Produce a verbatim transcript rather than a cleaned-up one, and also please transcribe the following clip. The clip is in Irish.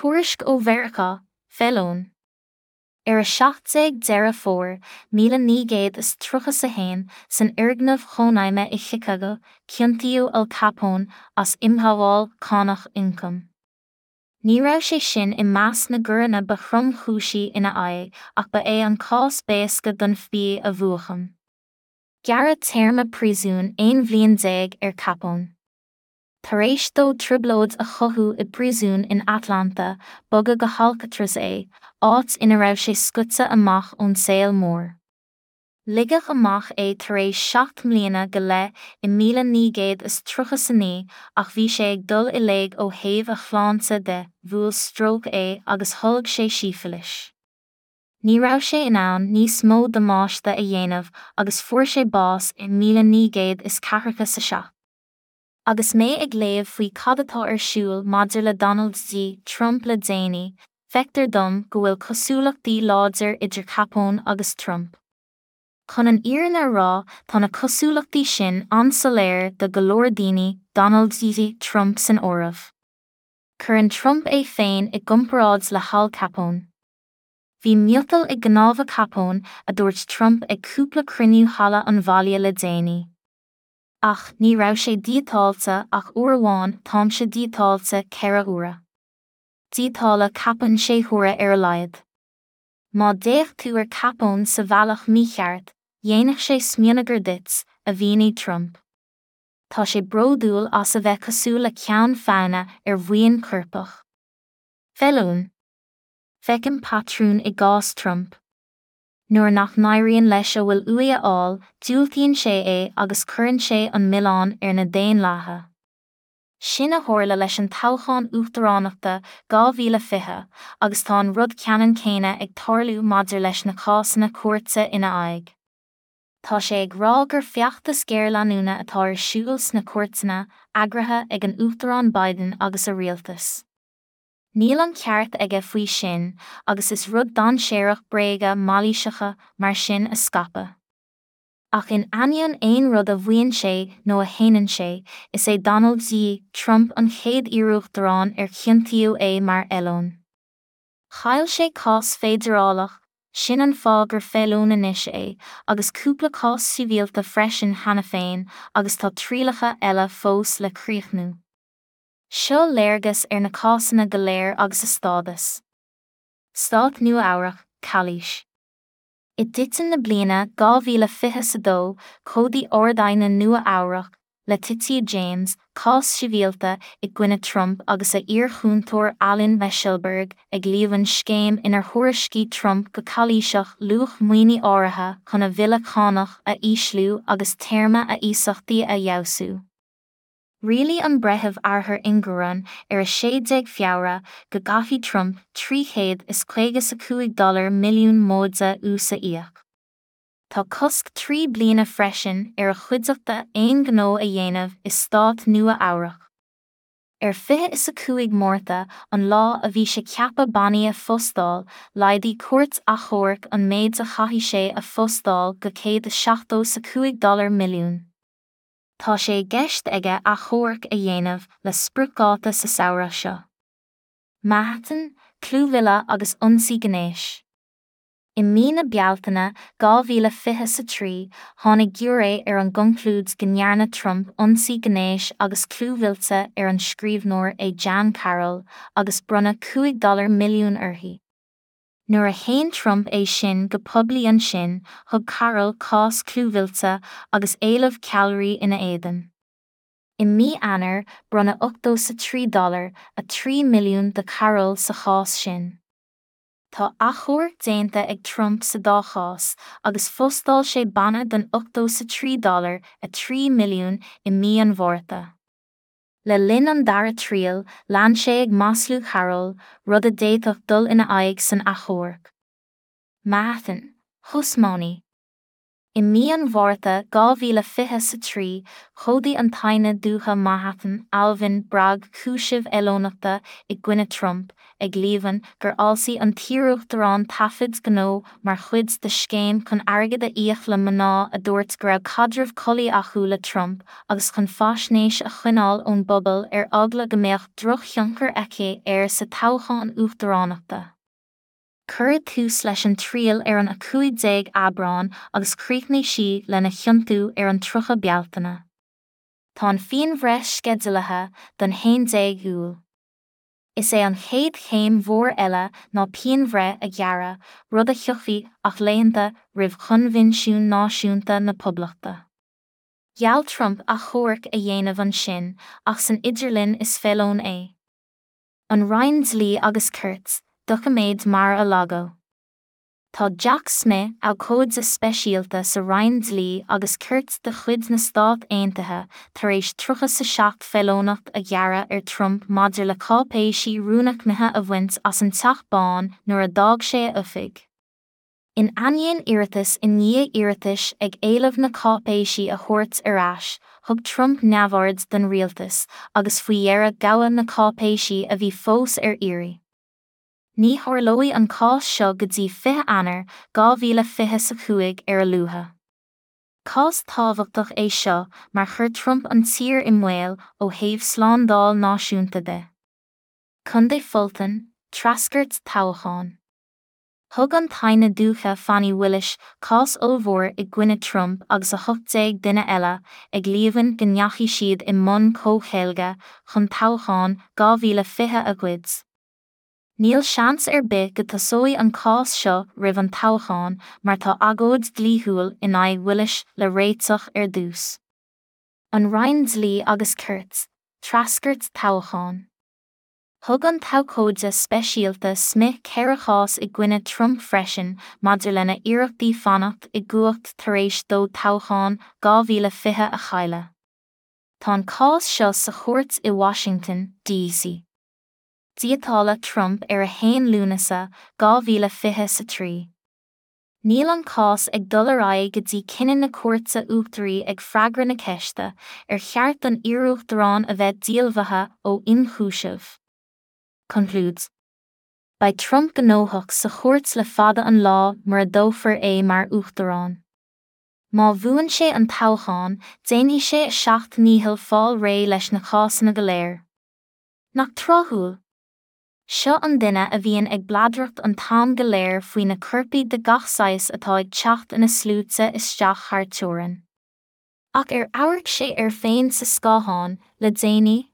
Tuairisc ó Mheiriceá, Feileon. Ar a seacht déag Deireadh Fómhair, míle naoi gcéad is tríocha a haon, san fhoirgneamh chónaidhme i Chicago, ciontaíodh Al Capone as imghabháil cánach ioncaim. Ní raibh sé sin i measc na gcoireanna ba thromchúisí ina aghaidh ach ba é an cás b'éasca don FBI a bhuachan. Gearradh téarma príosúin aon bhliain déag ar Capone. Tar éis dó trioblóid a chothú i bpríosún in Atlanta, bogadh go hAlcatraz é, áit ina raibh sé scoite amach ón saol mór. Ligeadh amach é tar éis seacht mbliana go leith i míle naoi gcéad is tríocha a naoi ach bhí sé ag dul i léig ó thaobh a shláinte de, bhuail stróc é agus tholg sé sífilis. Ní raibh sé in ann níos mó damáiste a dhéanamh agus fuair sé bás i míle naoi gcéad is ceathracha a seacht. Agus mé ag léamh faoi cad atá ar siúl maidir le Donald J. Trump le déanaí, feictear dom go bhfuil cosúlachtaí láidir idir Capone agus Trump. Chun an fhírinne a rá, tá na cosúlachtaí sin an-soiléir do go leor daoine, Donald J. Trump san áireamh. Cuireann Trump é féin i gcomparáid le hAl Capone. Bhí miotal i gcnámha Capone, a dúirt Trump ag cúpla cruinniú halla an bhaile le déanaí. Ach ní raibh sé díotáilte ach uair amháin, táimse díotáilte ceithre huaire. Díotáladh Capone sé huaire ar a laghad. Má d'fhéach tú ar Capone sa bhealach mícheart, dhéanfadh sé smionagar duit, a mhínigh Trump. Tá sé bródúil as a bheith cosúil le ceann feadhna ar bhuíon coirpeach. Feileon. Feicim patrún i gcás Trump. Nuair nach n-éiríonn leis a bhfuil uaidh a fháil, diúltaíonn sé é agus cuireann sé an milleán ar na daonlathaithe. Sin a tharla leis an toghchán uachtaránachta dhá mhíle fiche, agus tá an rud ceannann céanna ag tarlú maidir leis na cásanna cúirte ina aghaidh. Tá sé ag rá gur feachtas géarleanúna atá ar siúl sna cúirteanna, eagraithe ag an Uachtarán Biden agus a rialtas. Níl an ceart aige faoi sin, agus is rud dainséarach bréaga mailíseacha mar sin a scaipeadh. Ach in ainneoin aon rud a mhaíonn sé nó a shéanann sé, is é Donald J. Trump an chéad iar-uachtarán ar ciontaíodh é mar fheileon. Chaill sé cás feidearálach, sin an fáth gur feileon anois é, agus cúpla cás sibhialta freisin cheana féin, agus tá trialacha eile fós le críochnú. Seo léargas ar na cásanna go léir agus a stádas. Stát Nua-Eabhrac, Calaois. I dtitim na bliana dhá mhíle fiche a dó, chomhdaigh Ard-Aighne Nua-Eabhrac, Letitia James, cás sibhialta i gcoinne Trump agus a iar-chúntóir Alan Weisselberg ag líomhain scéim inar thuairiscigh Trump go calaoiseach luach maoine áirithe chun a bhille cánach a ísliú agus téarma a iasachtaí a fheabhsú. Rialaigh an breitheamh Arthur Engoron ar a sé déag Feabhra go gcaithfidh Trump trí chéad is caoga a cúig dollar milliún móide ús a íoc. Tá cosc trí bliana freisin ar a chuideachta aon ghnó a dhéanamh i stát Nua-Eabhrac. Ar fiche is a cúig Márta, an lá a bhí sé ceaptha bannaí a phostáil, laghdaigh cúirt achomhairc an méid a chaithfidh sé a phostáil go céad is seachtó a cúig dollar milliún. Tá sé i gceist aige achomharc a dhéanamh le spriocdháta sa samhradh seo. Manhattan, clúmhilleadh agus ionsaí gnéis. I mí na Bealtaine dhá mhíle fiche a trí, tháinig giúiré ar an gconclúid go ndearna Trump ionsaí gnéis agus clúmhillte ar an scríbhneoir E. Jean Carroll agus bronnadh cúig dollar milliún uirthi. Nuair a shéan Trump é sin go poiblí ansin, thug Carroll cás clúmhillte agus éileamh ceallraí ina éadan. I mí Eanáir, bronnadh ochtó sa trí dollar, a trí milliún do Carroll sa chás sin. Tá achomharc déanta ag Trump sa dá chás, agus phostáil sé banna den ochtó sa trí dollar, a trí milliún i mí an Mhárta. Le linn an dara triail, lean sé ag maslú Carroll, rud a d'fhéadfadh dul ina aghaidh san achomharc. Manhattan, Hush Money. I mí an Mhárta dhá mhíle fiche a trí, chomhdaigh an tAighne Dúiche Manhattan Alvin Bragg cúisimh fheileonachta i gcoinne Trump, ag líomhain gur fhalsaigh an t-iaruachtarán taifid gnó mar chuid de scéim chun airgead a íoc le mná a dúirt go raibh caidreamh collaí acu le Trump agus chun faisnéis a choinneáil ón bpobal ar eagla go mbeadh drochthionchar aici air sa toghchán uachtaránachta. Cuireadh tús leis an triail ar an a cúig déag Aibreán agus chríochnaigh sí lena chiontú ar an tríocha Bealtaine. Tá an phianbhreith sceidealaithe don haon déag Iúil. Is é an chéad chéim mhór eile ná pianbhreith a ghearradh, rud a thiocfaidh ach laethanta roimh Choinbhinsiún Náisiúnta na Poblachta. Gheall Trump achomharc a dhéanamh ansin, ach san idirlinn is feileon é. An Roinn Dlí agus Cirt, doiciméid Mar-a-Lago. Tá Jack Smith, abhcóide speisialta sa Roinn Dlí agus Cirt de chuid na Stát Aontaithe, tar éis tríocha a seacht feileonacht a ghearradh ar Trump maidir le cáipéisí rúnaicmithe a bhaint as an Teach Bán nuair a d'fhág sé a oifig. In ainneoin iarratas i ndiaidh iarratais ag éileamh na cáipéisí a thabhairt ar ais, thug Trump neamhaird don rialtas agus faoi dheireadh gabhadh na cáipéisí a bhí fós ar iarraidh. Ní tharlóidh an cás seo go dtí fiche Eanáir dhá mhíle fiche a cúig ar a luaithe. Cás tábhachtach é seo mar chuir Trump an tír i mbaol ó thaobh slándáil náisiúnta de. Contae Fulton, treascairt toghcháin. Thug an tAighne Dúiche Fani Willis cás ollmhór i gcoinne Trump agus a hocht déag duine eile, ag líomhain go ndeachaigh siad i mbun comhcheilge chun toghchán dhá mhíle fiche a ghoid. Níl seans ar bith go dtosóidh an cás seo roimh an toghchán mar tá agóid dlíthiúil in aghaidh Willis le réiteach ar dtús. An Roinn Dlí agus Cirt, treascairt toghcháin. Thug an t-abhcóide speisialta Smith ceithre chás i gcoinne Trump freisin maidir lena iarrachtaí fanacht i gcumhacht tar éis dó toghchán dhá mhíle fiche a chailleadh. Tá an cás seo sa chúirt i Washington, D C. Díotáladh Trump ar a haon Lúnasa dhá mhíle fiche a trí. Níl an cás ag dul ar aghaidh go dtí cinneadh na cúirte uachtaraí ag freagra na ceiste ar cheart don iaruachtarán a bheith díolmhaithe ó ionchúiseamh. Concludes. Beidh Trump gnóthach sa chúirt le fada an lá mura dtoghfar é mar uachtarán. Má bhuann sé an toghchán, déanfaidh sé a seacht ndícheall fáil réidh leis na cásanna go léir. Nach tráthúil? Seo an duine a bhíonn ag bladaireacht an t-am go léir faoi na coirpigh de gach saghas atá ag teacht ina sluaite isteach thar teorainn. Ach ar amharc sé air féin sa scáthán le déanaí,